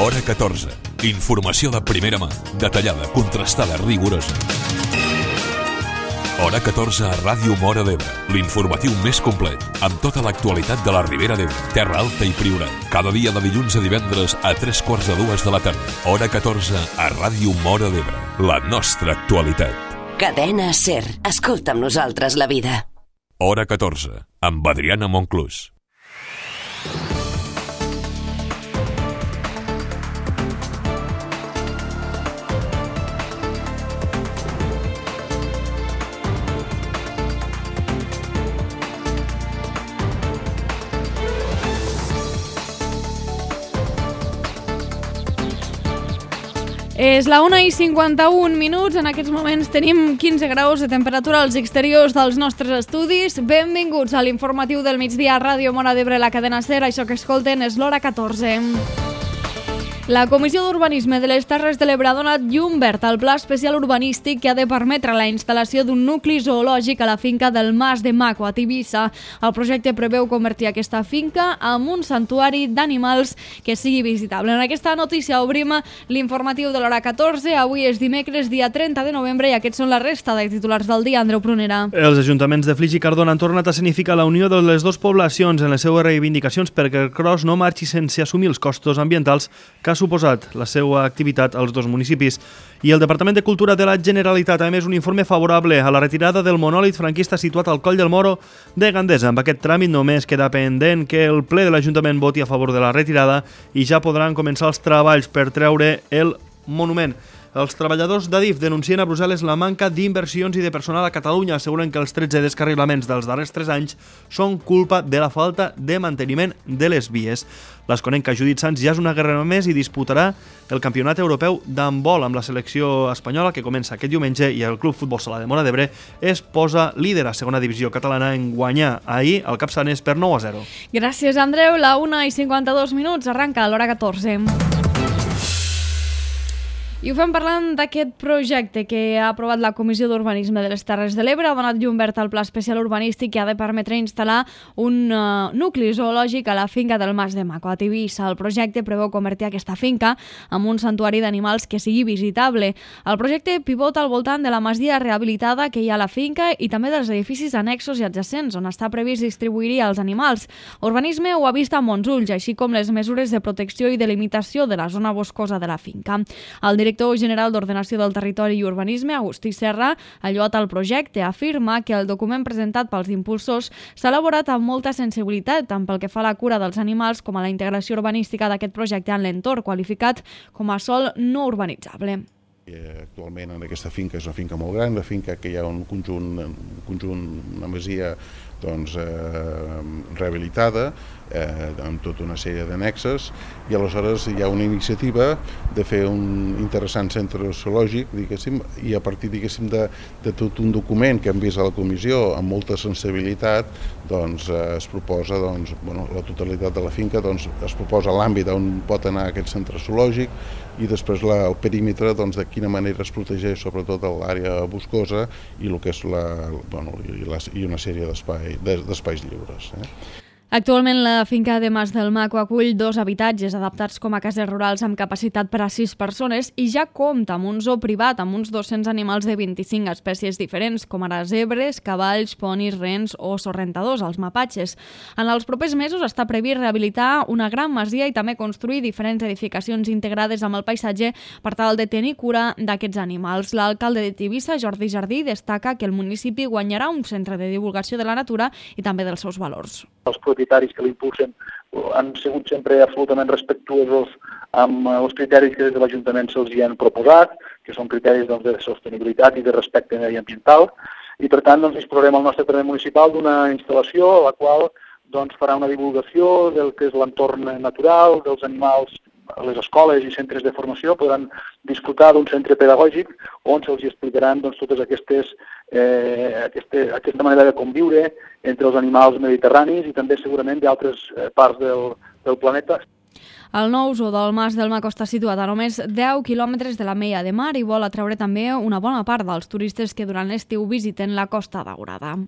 Hora 14. Informació de primera mà, detallada, contrastada, rigorosa. Hora 14 a Ràdio Móra d'Ebre, l'informatiu més complet, amb tota l'actualitat de la Ribera d'Ebre, Terra Alta i Priorat. Cada dia de dilluns a divendres a 3:45 de la tarda. Hora 14 a Ràdio Móra d'Ebre, la nostra actualitat. Cadena SER. Escolta amb nosaltres la vida. Hora 14, amb Adriana Monclús. És la 1:51. En aquests moments tenim 15 graus de temperatura als exteriors dels nostres estudis. Benvinguts a l'informatiu del migdia a Ràdio Móra d'Ebre, la cadena SER. Això que escolten és l'Hora 14. La Comissió d'Urbanisme de les Terres de l'Ebre ha donat llum verd al pla especial urbanístic que ha de permetre la instal·lació d'un nucli zoològic a la finca del Mas de Maco, a Tivissa. El projecte preveu convertir aquesta finca en un santuari d'animals que sigui visitable. En aquesta notícia obrim l'informatiu de l'Hora 14. Avui és dimecres, dia 30 de novembre, i aquests són la resta de titulars del dia. Andreu Prunera. Els ajuntaments de Flix i Cardona han tornat a significar la unió de les dues poblacions en les seues reivindicacions perquè el cross no marxi sense assumir els costos ambientals que ha suposat la seva activitat als dos municipis. I el Departament de Cultura de la Generalitat ha emès un informe favorable a la retirada del monòlit franquista situat al Coll del Moro de Gandesa. Amb aquest tràmit només queda pendent que el ple de l'Ajuntament voti a favor de la retirada i ja podran començar els treballs per treure el monument. Els treballadors d'Adif denuncien a Brussel·les la manca d'inversions i de personal a Catalunya. Asseguren que els 13 descarrilaments dels darrers 3 anys són culpa de la falta de manteniment de les vies. L'Esconenca Judit Sans ja és una guerrera més i disputarà el campionat europeu d'handbol amb la selecció espanyola que comença aquest diumenge, i el Club Futbol Sala de Móra d'Ebre es posa líder a segona divisió catalana en guanyar ahir el Capçanes per 9-0. Gràcies, Andreu. La 1:52. Arranca l'Hora 14. I ho fem parlant d'aquest projecte que ha aprovat la Comissió d'Urbanisme de les Terres de l'Ebre. Ha donat llum verd al pla especial urbanístic que ha de permetre instal·lar un nucli zoològic a la finca del Mas de Maco, a Tivissa. El projecte preveu convertir aquesta finca en un santuari d'animals que sigui visitable. El projecte pivota al voltant de la masia rehabilitada que hi ha a la finca i també dels edificis annexos i adjacents, on està previst distribuir els animals. Urbanisme ho ha vist amb bons ulls, així com les mesures de protecció i delimitació de la zona boscosa de la finca. El director general d'Ordenació del Territori i Urbanisme, Agustí Serra, ha lloat el projecte. Afirma que el document presentat pels impulsors s'ha elaborat amb molta sensibilitat, tant pel que fa a la cura dels animals com a la integració urbanística d'aquest projecte en l'entorn, qualificat com a sòl no urbanitzable. Actualment en aquesta finca és una finca molt gran, una finca que hi ha un conjunt una masia rehabilitada amb tota una sèrie d'annexes, i aleshores hi ha una iniciativa de fer un interessant centre zoològic, diguéssim, i a partir de tot un document que hem vist a la comissió amb molta sensibilitat, es proposa la totalitat de la finca, es proposa l'àmbit on pot anar aquest centre zoològic i després el perímetre de quina manera es protegeix sobretot l'àrea boscosa i el que és i una sèrie d'espais lliures. Actualment la finca de Mas del Maco acull 2 habitatges adaptats com a cases rurals amb capacitat per a 6 persones i ja compta amb un zoo privat amb uns 200 animals de 25 espècies diferents, com ara zebres, cavalls, ponis, rens o sorrentadors, els mapatges. En els propers mesos està previst rehabilitar una gran masia i també construir diferents edificacions integrades amb el paisatge per tal de tenir cura d'aquests animals. L'alcalde de Tivissa, Jordi Jardí, destaca que el municipi guanyarà un centre de divulgació de la natura i també dels seus valors. Els propietaris que l'impulsen han sigut sempre absolutament respectuosos amb els criteris que des de l'Ajuntament se'ls han proposat, que són criteris de sostenibilitat i de respecte mediambiental, i per tant disposarem al nostre terreny municipal d'una instal·lació a la qual farà una divulgació del que és l'entorn natural, dels animals. Les escoles i centres de formació podran disfrutar d'un centre pedagògic on se'ls explicaran totes aquesta manera de conviure entre els animals mediterranis i també segurament d'altres parts del planeta. El nou zoo del Mas del Maco està situat a només 10 quilòmetres de la Meia de Mar i vol atraure també una bona part dels turistes que durant l'estiu visiten la Costa Daurada.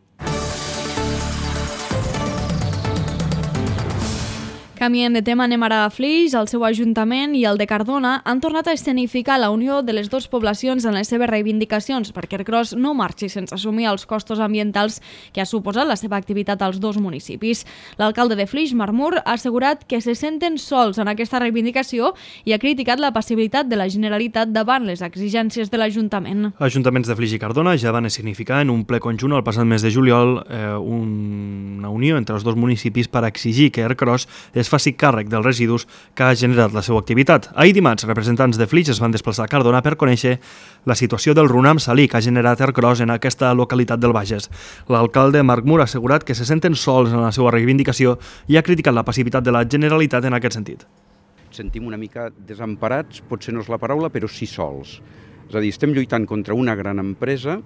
Canviem de tema, anem ara a Flix. El seu ajuntament i el de Cardona han tornat a escenificar la unió de les dues poblacions en les seves reivindicacions perquè Ercros no marxi sense assumir els costos ambientals que ha suposat la seva activitat als dos municipis. L'alcalde de Flix, Marc Mur, ha assegurat que se senten sols en aquesta reivindicació i ha criticat la passivitat de la Generalitat davant les exigències de l'Ajuntament. Ajuntaments de Flix i Cardona ja van escenificar en un ple conjunt el passat mes de juliol una unió entre els dos municipis per exigir que Ercros es faci càrrec dels residus que ha generat la seva activitat. Ahir dimarts, representants de Flix es van desplaçar a Cardona per conèixer la situació del runam salí que ha generat Ercros en aquesta localitat del Bages. L'alcalde Marc Mur ha assegurat que se senten sols en la seva reivindicació i ha criticat la passivitat de la Generalitat en aquest sentit. Sentim una mica desemparats, potser no és la paraula, però sí sols. És a dir, estem lluitant contra una gran empresa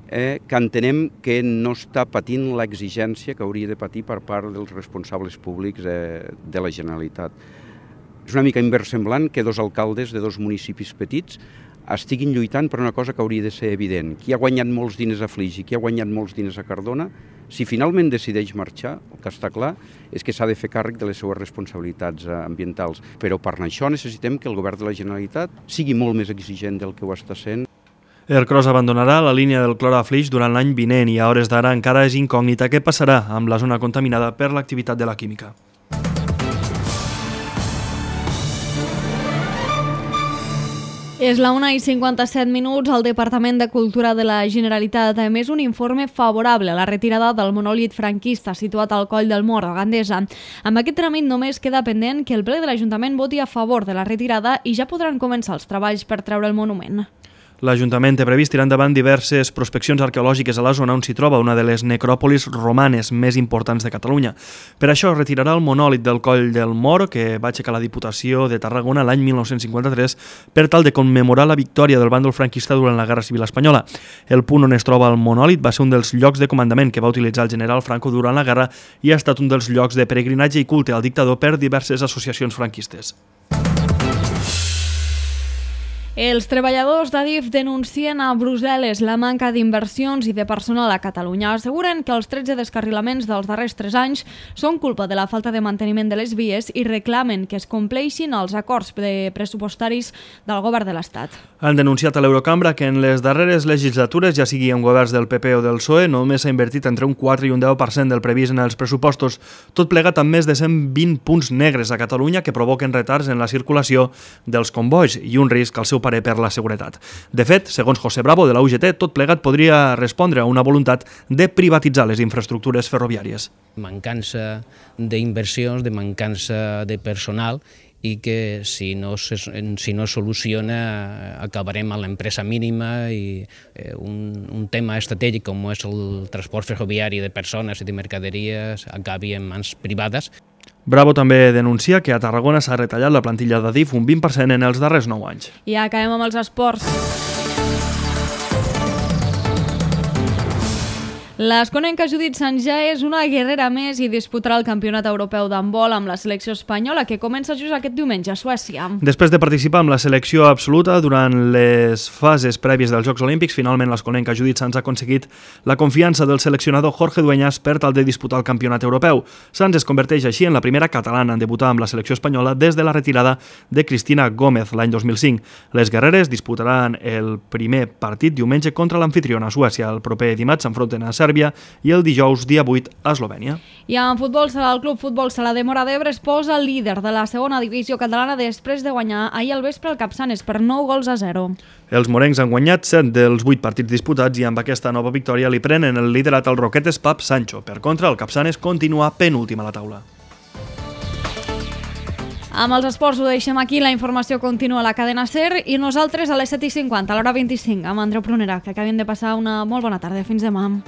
que entenem que no està patint l'exigència que hauria de patir per part dels responsables públics de la Generalitat. És una mica inversemblant que dos alcaldes de dos municipis petits estiguin lluitant per una cosa que hauria de ser evident. Qui ha guanyat molts diners a Flix i qui ha guanyat molts diners a Cardona, si finalment decideix marxar, el que està clar és que s'ha de fer càrrec de les seues responsabilitats ambientals. Però per això necessitem que el govern de la Generalitat sigui molt més exigent del que ho està sent. Ercros abandonarà la línia del clor a Flix durant l'any vinent i a hores d'ara encara és incògnita què passarà amb la zona contaminada per l'activitat de la química. És la 1:57. El Departament de Cultura de la Generalitat ha emès un informe favorable a la retirada del monòlit franquista situat al Coll del Mor, a Gandesa. Amb aquest tràmit només queda pendent que el ple de l'Ajuntament voti a favor de la retirada i ja podran començar els treballs per treure el monument. L'Ajuntament té previst tirar endavant diverses prospeccions arqueològiques a la zona on s'hi troba una de les necròpolis romanes més importants de Catalunya. Per això retirarà el monòlit del Coll del Mor, que va aixecar la Diputació de Tarragona l'any 1953 per tal de commemorar la victòria del bàndol franquista durant la Guerra Civil Espanyola. El punt on es troba el monòlit va ser un dels llocs de comandament que va utilitzar el general Franco durant la guerra i ha estat un dels llocs de peregrinatge i culte al dictador per diverses associacions franquistes. Els treballadors d'Adif denuncien a Brussel·les la manca d'inversions i de personal a Catalunya. Asseguren que els 13 descarrilaments dels darrers 3 anys són culpa de la falta de manteniment de les vies i reclamen que es compleixin els acords pressupostaris del govern de l'Estat. Han denunciat a l'Eurocambra que en les darreres legislatures, ja sigui en governs del PP o del PSOE, només s'ha invertit entre un 4 i un 10% del previst en els pressupostos, tot plegat amb més de 120 punts negres a Catalunya que provoquen retards en la circulació dels convois i un risc al seu per la seguretat. De fet, segons José Bravo de la UGT, tot plegat podria respondre a una voluntat de privatitzar les infraestructures ferroviàries. Mancança d'inversions, de mancança de personal i que si no es soluciona acabarem a l'empresa mínima i un tema estratègic com és el transport ferroviari de persones i de mercaderies acabi en mans privades. Bravo també denuncia que a Tarragona s'ha retallat la plantilla d'Adif un 20% en els darrers 9 anys. I acabem amb els esports. L'asconenca Judit Sanjà és una guerrera més i disputarà el Campionat Europeu d'handbol amb la selecció espanyola que comença just aquest diumenge a Suècia. Després de participar amb la selecció absoluta durant les fases prèvies dels Jocs Olímpics, finalment l'asconenca Judit Sanz ha aconseguit la confiança del seleccionador Jorge Dueñas per tal de disputar el Campionat Europeu. Sanz es converteix així en la primera catalana en debutar amb la selecció espanyola des de la retirada de Cristina Gómez l'any 2005. Les guerreres disputaran el primer partit diumenge contra l'anfitriona Suècia. El proper dimarts s'enfronten a Sèrbia i el dijous, dia 8, a Eslovènia. I en futbol sala, el Club Futbol Sala de Móra d'Ebre es posa líder de la segona divisió catalana després de guanyar ahir al vespre el Capçanes per 9-0. Els morencs han guanyat 7 dels 8 partits disputats i amb aquesta nova victòria li prenen el liderat al Roquetes Pap Sancho. Per contra, el Capçanes continua penúltim a la taula. Amb els esports ho deixem aquí, la informació continua a la cadena SER i nosaltres a les 7:50, a l'hora 25, amb Andreu Prunera, que acabem de passar una molt bona tarda. Fins demà.